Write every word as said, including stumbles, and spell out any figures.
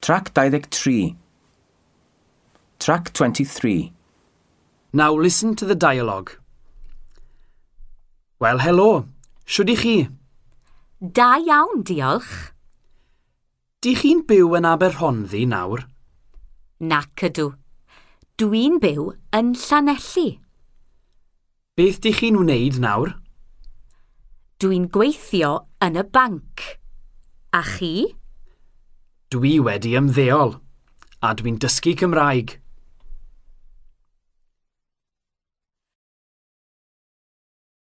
Trac dau ddeg tri. Track twenty-three. Now listen to the dialogue. Wel, helo. Shwd y'ch chi? Da iawn, diolch. Dych chi'n byw yn Aberhonddu nawr? Nac ydw. Dwi'n byw yn Llanelli. Beth dych chi'n wneud nawr? Dwi'n gweithio yn y banc. A chi? Dwi wedi ymddeol, a dwi'n dysgu Cymraeg.